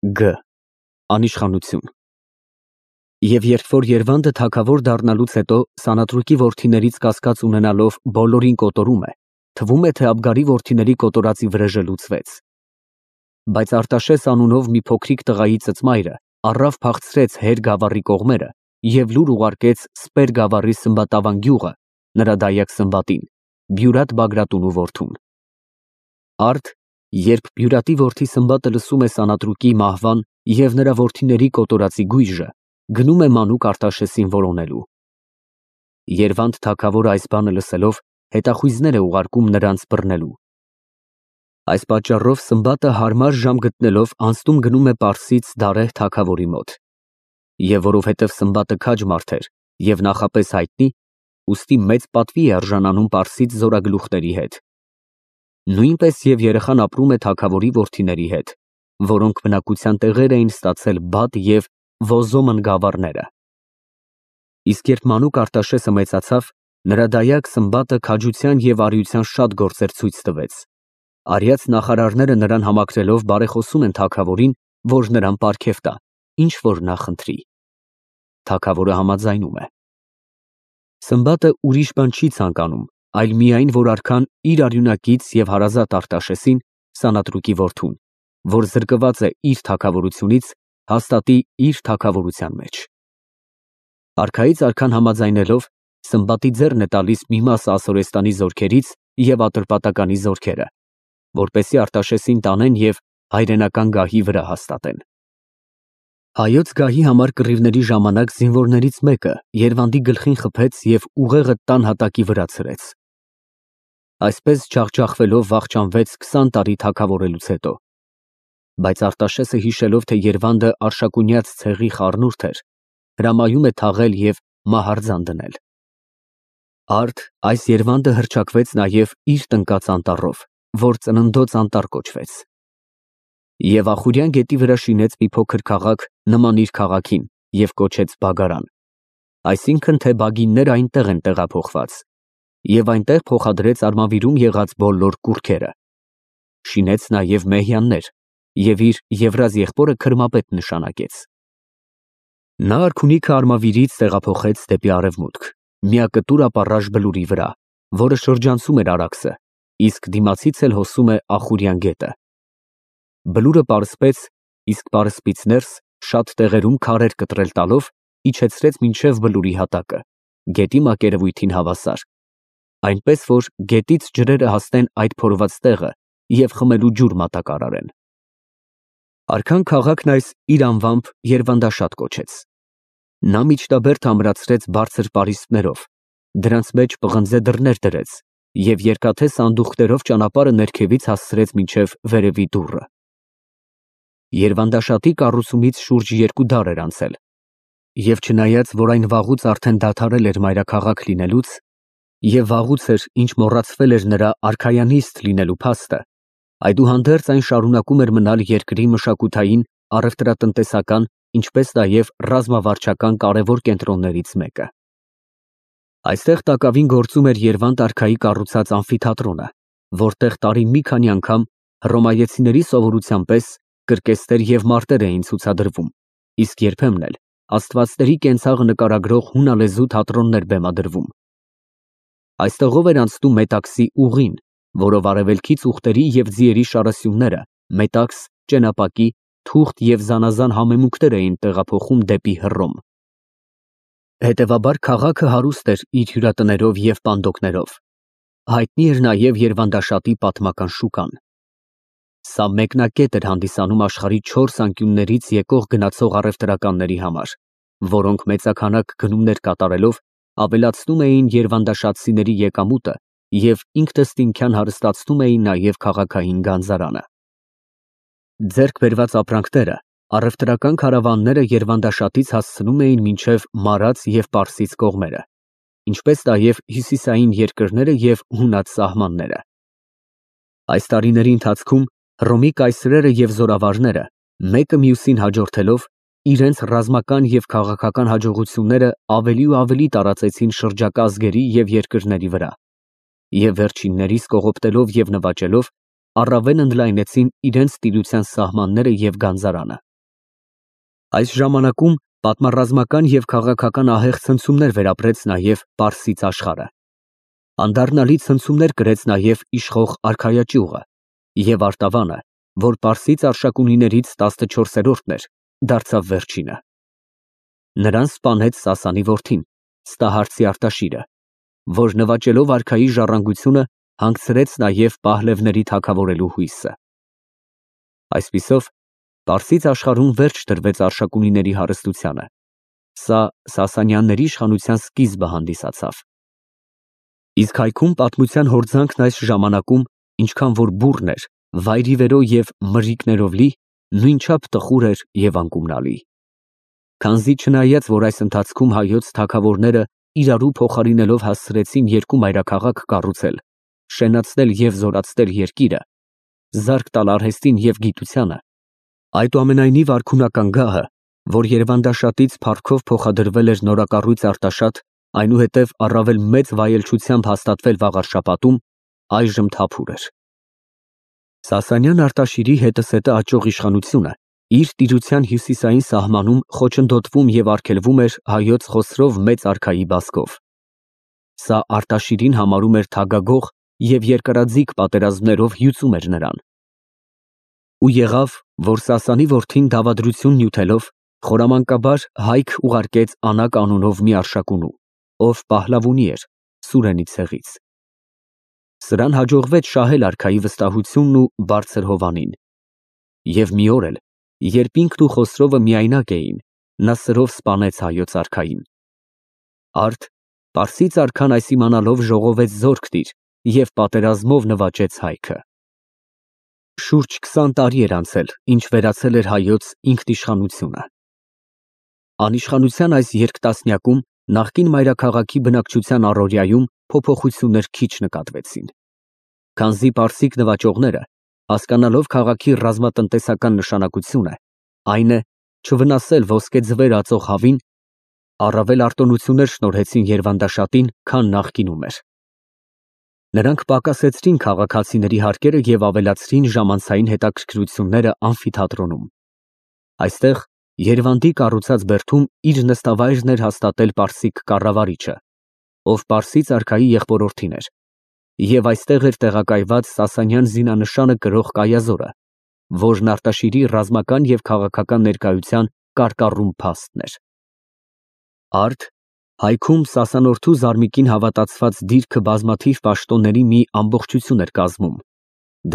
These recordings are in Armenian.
Գ. Անիշխանություն։ Եվ երբ որ Երվանդը թագավոր դառնալուց հետո Սանատրուկի որդիներից կասկած ունենալով բոլորին կոտորում է, թվում է, թե Աբգարի որդիների կոտորածի վրեժը լուծվեց։ Բայց Արտաշես անունով մի փոքրիկ տղայի ծծմայրը առավ փախցրեց Հեր գավառի կողմերը և լուր ուղարկեց Սպեր գավառի Սմբատավան գյուղը նրա դայակ Սմբատին, Բյուրատ Բագրատունու որդուն։ Արդ, երբ Բյուրատի որդի Սմբատը լսում է Սանատրուկի մահվան և նրա որդիների կոտորածի գույժը, գնում է մանուկ Արտաշեսին որոնելու։ Երվանդ թագավորը այս բանը լսելով հետախույզներ է ուղարկում նրանց բռնելու։ Այս պատճառով Սմբատը հարմար ժամ գտնելով անցնում գնում է Պարսից Դարեհ թագավորի մոտ։ Եվ որովհետև Սմբատը քաջ մարդ էր և նախապես հայտնի, ուստի մեծ պատվի է արժանանում Պարսից զորագլուխների հետ։ Նույնպես և երեխան ապրում է թագավորի որդիների հետ, որոնք բնակության տեղեր էին ստացել Բադ և Ոզոմն գավառները։ Իսկ երբ մանուկ Արտաշեսը մեծացավ, նրա դայակ Սմբատը քաջության և արիության շատ գործեր ցույց տվեց։ Արիած նախարարները նրան համակրելով բարեխոսում են թագավորին, որ նրան պարգև տա, ինչ որ նա խնդրի։ Թագավորը համաձայնում է։ Սմբատը ուրիշ բան չի ցանկանում, այլ միայն, որ արքան իր արյունակից և հարազատ Արտաշեսին, Սանատրուկի որդուն, որ զրկված է իր թագավորությունից, հաստատի իր թագավորության մեջ։ Արքայից արքան համաձայնելով, Սմբատի ձեռն է տալիս մի մասը Ասորեստանի զորքերից և Ատրպատականի զորքերը, որպեսզի Արտաշեսին տանեն և հայրենական գահի վրա հաստատեն։ Հայոց գահի համար կռիվների ժամանակ զինվորներից մեկը Երվանդի գլխին խփեց և ուղեղը տան հատակի վրա ցրեց։ Այսպես ջախջախվելով վախճանվեց 20 տարի թագավորելուց հետո։ Բայց Արտաշեսը հիշելով, թե Երվանդը արշակունյաց ցեղի խառնուրդ էր, հրամայում է թաղել և մահարձան դնել։ Արդ այս Երվանդը հռչակվեց նաև իր տնկած անտառով, որ Ծննդոց անտառ կոչվեց։ Եվ Ախուրյան գետի վրա շինեց մի փոքր քաղաք նման իր քաղաքին և կոչեց Բագարան, այսինքն թե բագինները այնտեղ են տեղափոխված, և այնտեղ փոխադրեց արմավիրում եղած բոլոր կուռքերը։ Շինեց նաև Մեհյաններ և իր Եվրազ եղբորը քրմապետ նշանակեց։ Նա արքունիքը արմավիրից տեղափոխեց դեպի արևմուտք, միակտուր ապառաժ բլուրի վրա, որը շրջանցում էր Արաքսը, իսկ դիմացից էլ հոսում է Ախուրյան գետը։ Բլուրը պարսպեց, իսկ պարսպից ներս շատ տեղերում քարեր կտրել տալով իջեցրեց մինչև բլուրի հատակը, գետի մակերևույթին հավասար, այնպես որ գետից ջրերը հասնեն այդ փորված տեղը և խմելու ջուր մատակարարեն։ Արքան քաղաքն այս իր անվամբ Երվանդաշատ կոչեց։ Նա միջտաբերդ ամրացրեց բարձր պարիսպներով, դրանց մեջ պղնձե դռներ դրեց և երկաթե սանդուղքներով ճանապարհը ներքևից հասցրեց մինչև վերևի դուռը։ Երվանդաշատի կառուցումից շուրջ 2 դար էր անցել, և չնայած, որ այն վաղուց արդեն դադարել էր մայրաքաղաք լինելուց, և վաղուց էր, ինչ մոռացվել էր նրա արքայանիստ լինելու փաստը, այդուհանդերձ այն շարունակում էր մնալ երկրի մշակութային, առևտրատնտեսական, ինչպես նաև ռազմավարչական կարևոր կենտրոններից մեկը։ Այստեղ տակավին գործում էր Երվանդ արքայի կառուցած ամֆիթատրոնը, որտեղ տարին մի քանի անգամ հռոմայեցիների սովորության պես կրկեսներ և մարտեր էին ցուցադրվում, իսկ երբեմն էլ աստվածների կենցաղը նկարագրող հունալեզու թատրոններ բեմադրվում։ Այստեղով էր անցնում Մետաքսի ուղին, որով արևելքից ուղտերի և ձիերի շարասյունները Մետաքս, Ճենապակի, Թուղթ և զանազան համեմունքներ էին տեղափոխում դեպի Հռոմ։ Հետևաբար քաղաքը հարուստ էր իր հյուրատներով և պանդոկներով։ Հայտնի էր նաև Երվանդաշատի պատմական շուկան։ Սա մեկնակետ էր հանդիսանում աշխարհի 4 անկյուններից եկող գնացող առևտրականների համար, որոնք մեծաքանակ գնումներ կատարելով ավելացնում էին երվանդաշատցիների եկամուտը և ինքնըստինքյան հարստացնում էին նաև քաղաքային գանձարանը։ Ձեռք բերված ապրանքները առևտրական քարավանները Երվանդաշատից հասցնում էին մինչև Մարաց և Պարսից կողմերը, ինչպես նաև հյուսիսային երկրները և հունած սահմանները։ Այս տարիների ընթացքում Հռոմի կայսրերը և զորավարները, մեկը մյուսին հաջորդելով, իրենց ռազմական և քաղաքական հաջողությունները ավելի ու ավելի տարածեցին շրջակա ազգերի և երկրների վրա, և վերջիններիս կողոպտելով և նվաճելով, առավել ընդլայնեցին իրենց տիրության սահմանները և գանձարանը։ Այս ժամանակում պատմառազմական եւ քաղաքական ահեղ ցնցումներ վերապրեց նաեւ Պարսից աշխարհը։ Անդառնալի ցնցումներ կրեց նաեւ իշխող արքայաճյուղը եւ Արտավանը, որ Պարսից արշակունիներից 14-րդն էր, դարձավ վերջինը։ Նրան սպանեց Սասանի որդին, Ստահարցի Արտաշիրը, որ նվաճելով արքայի ժառանգությունը հանգցրեց նաև Պահլևների թագավորելու հույսը։ Այսպիսով, Պարսից աշխարհում վերջ տրվեց արշակունիների հարստությանը։ Սա Սասանյանների իշխանության սկիզբը հանդիսացավ։ Իսկ հայքում պատմության հորձանքն այս ժամանակում, ինչքան որ բուռն էր, վայրիվերո եւ մրրիկներով լի, նույնչափ տխուր էր եւ անկումնալի։ Քանզի չնայած որ այս ընթացքում հայոց թագավորները իրարու փոխարինելով հասցրեցին երկու մայրաքաղաք կառուցել, շենացնել եւ զորացնել երկիրը, զարկ տալ արհեստին եւ գիտությանը, այդուամենայնիվ արքունական գահը, որ Երևանդաշատից փառքով փոխադրվել էր նորակառույց Արտաշատ, այնուհետև առավել մեծ վայելչությամբ հաստատվել Վաղարշապատում, այժմ թափուր էր։ Սասանյան Արտաշիրի հետսետը աճող իշխանությունը իր տիրության հյուսիսային սահմանում խոչընդոտվում եւ արգելվում էր հայոց Խոսրով մեծ արքայի բասկով։ Սա Արտաշիրին համարում էր թագագող եւ երկարաձիգ պատերազմներով հյուծում էր նրան։ Ու եղավ, որ Սասանի որդին դավադրություն նյութելով խորամանկաբար հայք ուղարկեց Անակ անունով մի արշակունու, ով Պահլավունի էր, Սուրենի ցեղից։ Սրան հաջողվեց շահել արքայի վստահությունն ու բարձր հովանին։ Եվ մի օր էլ, երբ ինքն ու Խոսրովը միայնակ էին, նա սրով սպանեց հայոց արքային։ Արդ Պարսից արքան այս իմանալով ժողովեց զորք դիր եւ պատերազմով նվաճեց հայքը։ Շուրջ 20 տարի էր անցել, ինչ վերացել էր հայոց ինքնիշխանությունը։ Անիշխանության այս երկտասնյակում նախկին մայրաքաղաքի բնակչության առօրյայում փոփոխություններ քիչ նկատվեցին։ Քանզի պարսիկ նվաճողները, հասկանալով քաղաքի ռազմատնտեսական նշանակությունը, այն է չվնասել ոսկե ձվեր ածող հավին, առավել արտոնություններ շնորհեցին Երվանդաշատին, քան նախկինում էր։ Նրանք պակասեցրին քաղաքացիների հարկերը եւ ավելացրին ժամանցային հետաքրքրությունները ամֆիթատրոնում։ Այստեղ Երևանդի կառուցած բերդում իր նստավայրն էր հաստատել պարսիկ կառավարիչը, ով Պարսից արքայի եղբորորդին էր, եւ այստեղ էր տեղակայված Սասանյան զինանշանը կրող կայազորը, որն Արտաշիրի ռազմական եւ քաղաքական ներկայության կարկառուն փաստն էր։ Արդ հայքում Սասանորդու Զարմիկին հավատացված դիրքը բազմաթիվ պաշտոնների մի ամբողջություն էր կազմում։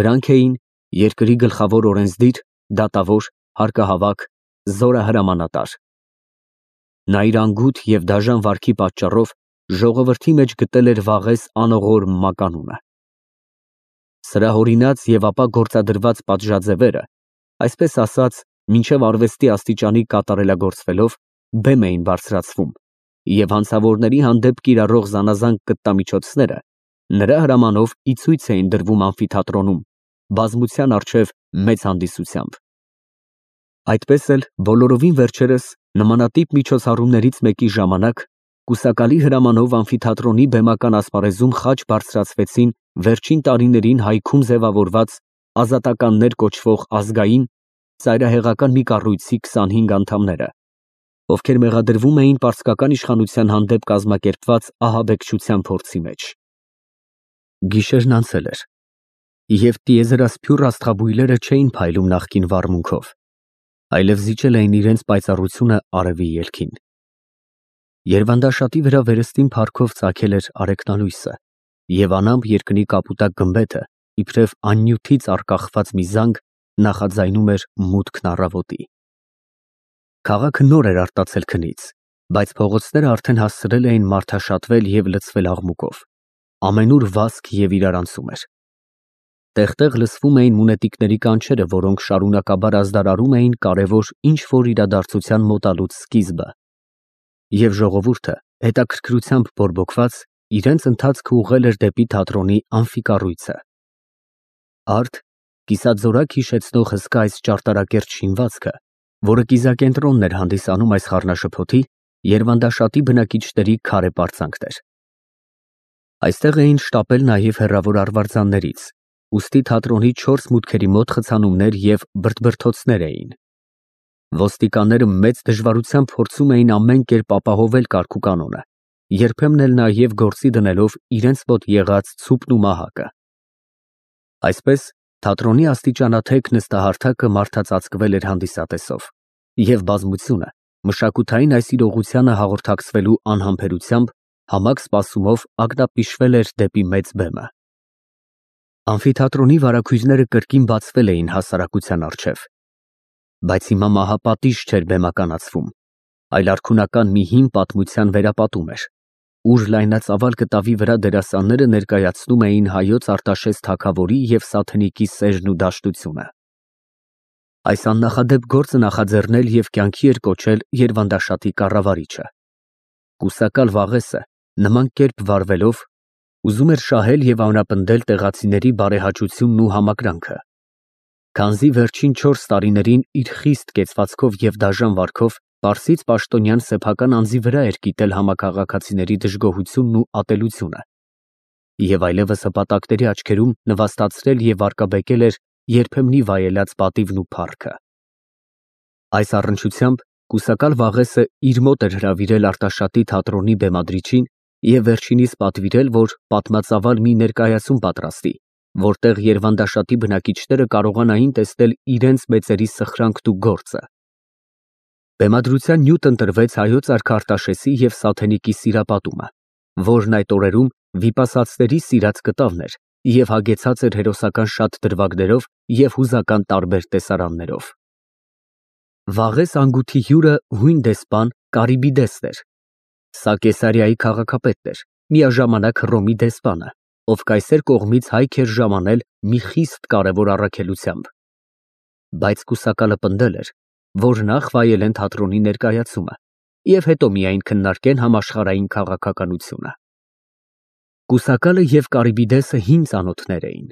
Դրանք էին երկրի գլխավոր օրենսդիր, դատավոր, հարկահավաք, զորահրամանատար։ Նա իր անգութ եւ դաժան վարքի պատճառով ժողովրդի մեջ գտել էր վաղես անողոր մականունը։ Սրա հորինած եւ ապա գործադրված պատժաձևերը, այսպես ասած, մինչև արվեստի աստիճանի կատարելագործվելով, բեմ էին բարձրացվում, եւ հանցավորների հանդեպ կիրառող զանազան կտտամիջոցները նրա հրամանով ի ցույց էին դրվում ամֆիթատրոնում, բազմության առջև մեծ հանդիսությամբ։ Այդպես էլ բոլորովին վերջերս նմանատիպ միջոցառումներից մեկի ժամանակ կուսակալի հրամանով ամֆիթատրոնի բեմական ասպարեզում խաչ բարձրացվեցին վերջին տարիներին հայքում ձևավորված ազատականներ կոչվող ազգային ծայրահեղական մի կառույցի 25 անդամները, ովքեր մեղադրվում էին պարսկական իշխանության հանդեպ կազմակերպված ահաբեկչության փորձի մեջ։ Գիշերն անցել էր, եւ տիեզերասփյուռ աստղաբույլերը չէին փայլում նախկին վառմունքով, այլև զիջել էին իրենց պայծառությունը արևի ելքին։ Երվանդաշատի վրա վերստին փառքով ծագել էր արեկնալույսը, եւ անամպ երկնի կապուտակ գմբեթը, իբրև աննյութից արկախված մի զանգ, նախաձայնում էր մուտքն առավոտի։ Քաղաքը նոր էր արտացել քնից, բայց փողոցները արդեն հասցրել էին մարդաշատվել եւ լցվել աղմուկով։ Ամենուր վազք եւ իրարանցում էր։ Տեղ-տեղ լսվում էին մունետիկների կանչերը, որոնք շարունակաբար ազդարարում էին կարևոր ինչ-որ իրադարձության մոտալուց սկիզբը։ Եվ ժողովուրդը, հետաքրքրությամբ բորբոքված, իրենց ընթացքը ուղղել էր դեպի թատրոնի ամֆիկառույցը։ Արդ կիսաձորակ հիշեցնող հսկա այս ճարտարակերտ շինվածքը, որը կիզակենտրոնն էր հանդիսանում այս խառնաշփոթի, Երվանդաշատի բնակիչների քարե պարծանքներ։ Այստեղ էին շտապել նաև հեռավոր արվարձաններից, ուստի թատրոնի 4 մուտքերի մոտ խցանումներ եւ բրդբրթոցներ էին։ Ոստիկանները մեծ դժվարությամբ փորձում էին ամեն կերպ ապահովել կարգուկանոնը, երբեմն էլ նաև գործի դնելով իրենց մոտ եղած ցուպն ու մահակը։ Այսպես թատրոնի աստիճանաթեք նստահարթակը մարդածածկվել էր հանդիսատեսով, և բազմությունը մշակութային այս իրողությանը հաղորդակցվելու անհամբերությամբ համակ սպասումով ակնապիշվել էր դեպի մեծ բեմը։ Ամֆիթատրոնի վարագույրները կրկին բացվել էին հասարակության առջև, բայց հիմա մահապատիժ չէր բեմականացվում, այլ արքունական մի հին պատմության վերապատում էր, ուր լայնածավալ կտավի վրա դերասանները ներկայացնում էին հայոց Արտաշես թագավորի և Սաթենիկի սերն ու դաշտությունը։ Այս աննախադեպ գործը նախաձեռնել և կյանքի էր կոչել Երվանդաշատի կառավարիչը։ Կուսակալ Վաղեսը նման կերպ վարվելով ուզում էր շահել և ամրապնդել տեղացիների բարեհաճությունն ու համակրանքը, քանզի վերջին 4 տարիներին իր խիստ կեցվածքով և դաժան վարքով պարսից պաշտոնյան սեփական անձի վրա էր կիտել համակաղաքացիների դժգոհությունն ու ատելությունը, և այլևս հպատակների աչքերում նվաստացրել և վարկաբեկել էր երբեմնի վայելած պատիվն ու փառքը։ Այս առնչությամբ կուսակալ Վաղեսը իր մոտ էր հրավիրել Արտաշատի թատրոնի բեմադրիչին և վերջինիս պատվիրել, որ պատմածավալ մի ներկայացում պատրաստի, որտեղ Երվանդաշատի բնակիչները կարողանային տեսնել իրենց մեծերի սխրանքն ու գործը։ Բեմադրության նյութ ընտրվեց հայոց արքա Արտաշեսի և Սաթենիկի սիրապատումը, որն այդ օրերում վիպասացների սիրած կտավն էր և հագեցած էր հերոսական շատ դրվագներով և հուզական տարբեր տեսարաններով։ Վաղես անգութի հյուրը հույն դեսպան Կարիբիդեսն էր։ Սա Կեսարիայի քաղաքապետն էր, միաժամանակ Հռոմի դեսպանը, ով կայսեր կողմից հայք էր ժամանել մի խիստ կարևոր առաքելությամբ։ Բայց կուսակալը պնդել էր, որ նախ վայելեն թատրոնի ներկայացումը և հետո միայն քննարկեն համաշխարհային քաղաքականությունը։ Կուսակալը և Կարիբիդեսը հին ծանոթներ էին։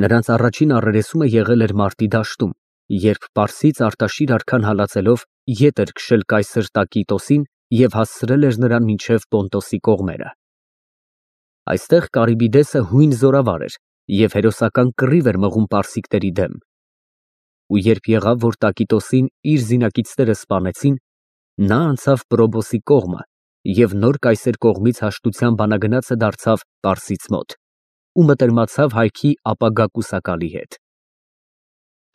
Նրանց առաջին առերեսումը եղել էր մարտի դաշտում, երբ պարսից Արտաշիր արքան հալածելով ետ էր քշել կայսր Տակիտոսին և հասցրել էր նրան մինչև Պոնտոսի կողմերը։ Այստեղ Կարիբիդեսը հույն զորավար էր և հերոսական կռիվ էր մղում պարսիկների դեմ։ Ու երբ եղավ, որ Տակիտոսին իր զինակիցները սպանեցին, նա անցավ Պրոբոսի կողմը և նոր կայսեր կողմից հաշտության բանագնացը դարձավ պարսից մոտ ու մտերմացավ հայքի ապագա կուսակալի հետ։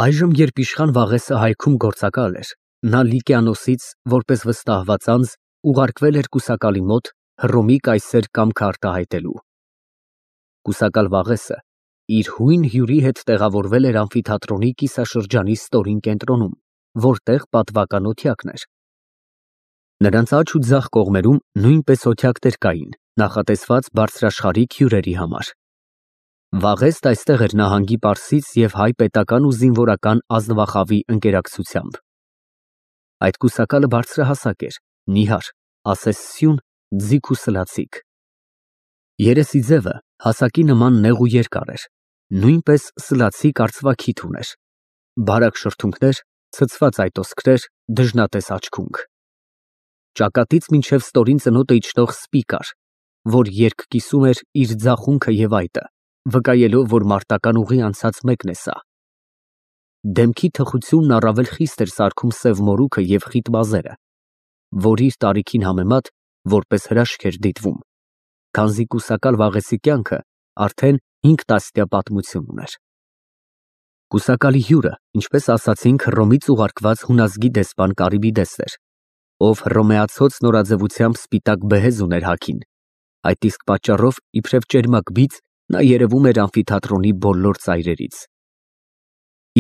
Այժմ, երբ իշխան Վաղեսը հայքում գործակալ էր, նա Լիկիանոսից, որպես վստահված անձ, ուղարկվել էր կուսակալի մոտ Հռոմի կայսեր կամքը արտահայտելու։ Կուսակալ Վաղեսը իր հույն հյուրի հետ տեղավորվել էր ամֆիթատրոնի կիսաշրջանի ստորին կենտրոնում, որտեղ պատվական օթյակն էր։ Նրանց աջ ու ձախ կողմերում նույնպես օթյակներ կային, նախատեսված բարձրաշխարհիկ հյուրերի համար։ Վաղեստ այստեղ էր նահանգի պարսից և հայ պետական ու զինվորական ազնվախավի ընկերակցությամբ։ Այդ կուսակալը բարձրահասակ էր, նիհար, ասես սյուն, ձիգ ու սլացիկ։ Երեսի ձևը հասակի նման նեղ ու երկար էր, նույնպես սլացիկ արծվաքիթ ուներ, բարակ շրթունքներ, ցցված այտոսկրեր, դժնատես աչքունք։ Ճակատից մինչև ստորին ծնոտը իջնող սպի կար, որ երկ կիսում էր իր ձախունքը և այտը, վկայելով, որ մարտական ուղի անցած մեկն է սա։ Դեմքի թխությունն առավել խիստ էր սարքում սև մորուքը և խիտ մազերը, որ իր տարիքին համեմատ որպես հրաշք էր դիտվում, քանզի կուսակալ Վաղեսի կյանքը արդեն 5 տասնյա պատմություն ուներ։ Կուսակալի հյուրը, ինչպես ասացինք, Հռոմից ուղարկված հունազգի դեսպան Կարիբիդեսն էր, ով հռոմեացոց նորաձևությամբ սպիտակ բեհեզ ուներ հագին, այդ իսկ պատճառով իբրև ճերմակ բիծ նա երևում էր ամֆիթատրոնի բոլոր ծայրերից։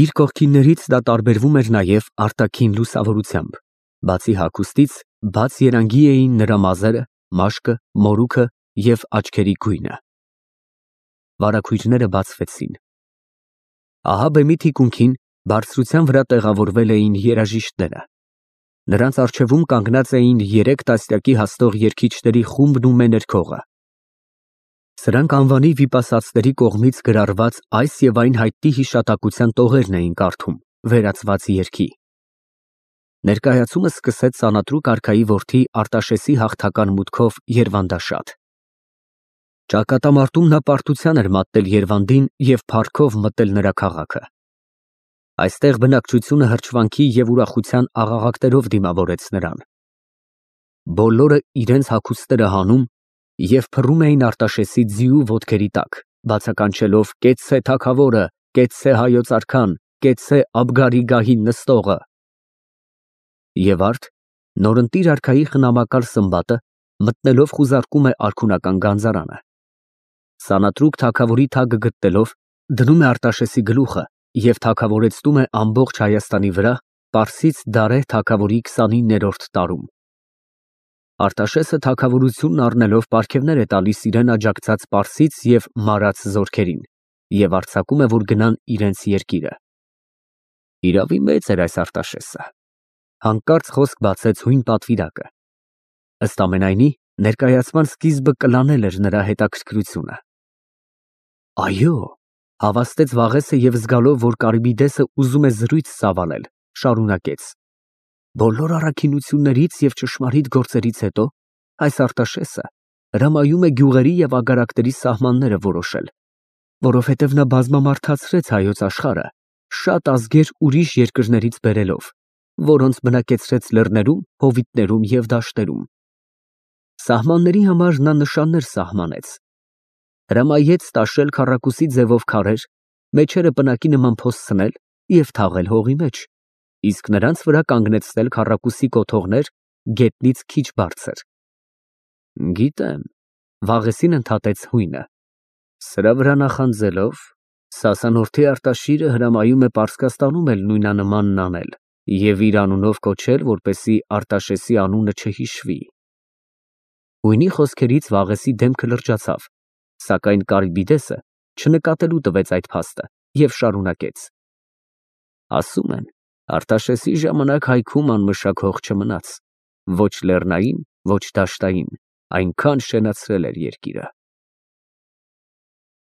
Իր կողքիններից դա տարբերվում էր նաև արտաքին լուսավորությամբ, բացի հագուստից, բաց երանգի էին նրա մազերը, մաշկը, մորուքը և աչքերի գույնը։ Վարագույրները բացվեցին։ Ահա բեմի թիկունքին բարձրության վրա տեղավորվել էին երաժիշտները։ Նրանց առջևում կանգնած էին 3 տասնյակի հասնող երգիչների խումբն ու մեներքողը։ Սրանք անվանի վիպասացների կողմից գրառված այս և այն հայտնի հիշատակության տողերն էին կարդում, վերացված երգի։ Ներկայացումը սկսեց սանատրուկ արքայի որդի Արտաշեսի հաղթական մուտքով Երվանդաշատ։ Ճակատամարտում նա պարտության էր մատնել Երվանդին և փառքով մտել նրա քաղաքը։ Այստեղ բնակչությունը հրճվանքի և ուրախության աղաղակներով դիմավորեց նրան։ Բոլորը իրենց հագուստները հանում և փռում էին Արտաշեսի ձիու ոտքերի տակ, բացականչելով «Կեցցե թագավորը, կեցցե հայոց արքան, կեցցե Աբգարի գահին նստողը»։ Եվ արդ նորընտիր արքայի խնամակալ սմբատը մտնելով խուզարկում է արքունական գանձարանը։ Սանատրուկ թագավորի թագը գտնելով դնում է Արտաշեսի գլուխը և թագավորեցնում է ամբողջ Հայաստանի վրա Պարսից Դարեհ թագավորի 29-րդ տարում։ Արտաշեսը թագավորությունն առնելով պարգևներ է տալիս իրեն աջակցած պարսից և մարաց զորքերին և արձակում է, որ գնան իրենց երկիրը։ Իրավի մեծ էր այս Արտաշեսը, հանկարծ խոսք բացեց հույն պատվիրակը։ Ըստ ամենայնի, ներկայացման սկիզբը կլանել էր նրա հետաքրքրությունը։ Այո, հավաստեց Վաղեսը և զգալով, որ Կարիբիդեսը ուզում է զրույց ծավալել, շարունակեց. Բոլոր առաքինություններից և ճշմարիտ գործերից հետո այս Արտաշեսը հրամայում է գյուղերի և ագարակների սահմանները որոշել, որովհետև նա բազմամարդացրեց հայոց աշխարհը, շատ ազգեր ուրիշ երկրներից բերելով, որոնց բնակեցրեց լեռներում, հովիտներում և դաշտերում։ Սահմանների համար նա նշաններ սահմանեց, հրամայեց տաշել քառակուսի ձևով քարեր, մեջերը պնակի նման փոսցնել և թաղել հողի մեջ, իսկ նրանց վրա կանգնեցնել քառակուսի կոթողներ գետնից քիչ բարձր։ Գիտեմ, Վաղեսին ընդհատեց հույնը։ Սրա վրա նախանձելով Սասանորթի Արտաշիրը հրամայում է Պարսկաստանում էլ նույնանմանն անել և իր անունով կոչել, որպեսզի Արտաշեսի անունը չհիշվի։ Հույնի խոսքերից Վաղեսի դեմքը լրջացավ, սակայն Կարիբիդեսը չնկատելու տվեց այդ փաստը և շարունակեց. Ասում են, Արտաշեսի ժամանակ հայքում անմշակ հող չմնաց, ոչ լեռնային, ոչ դաշտային, այնքան շենացրել էր երկիրը։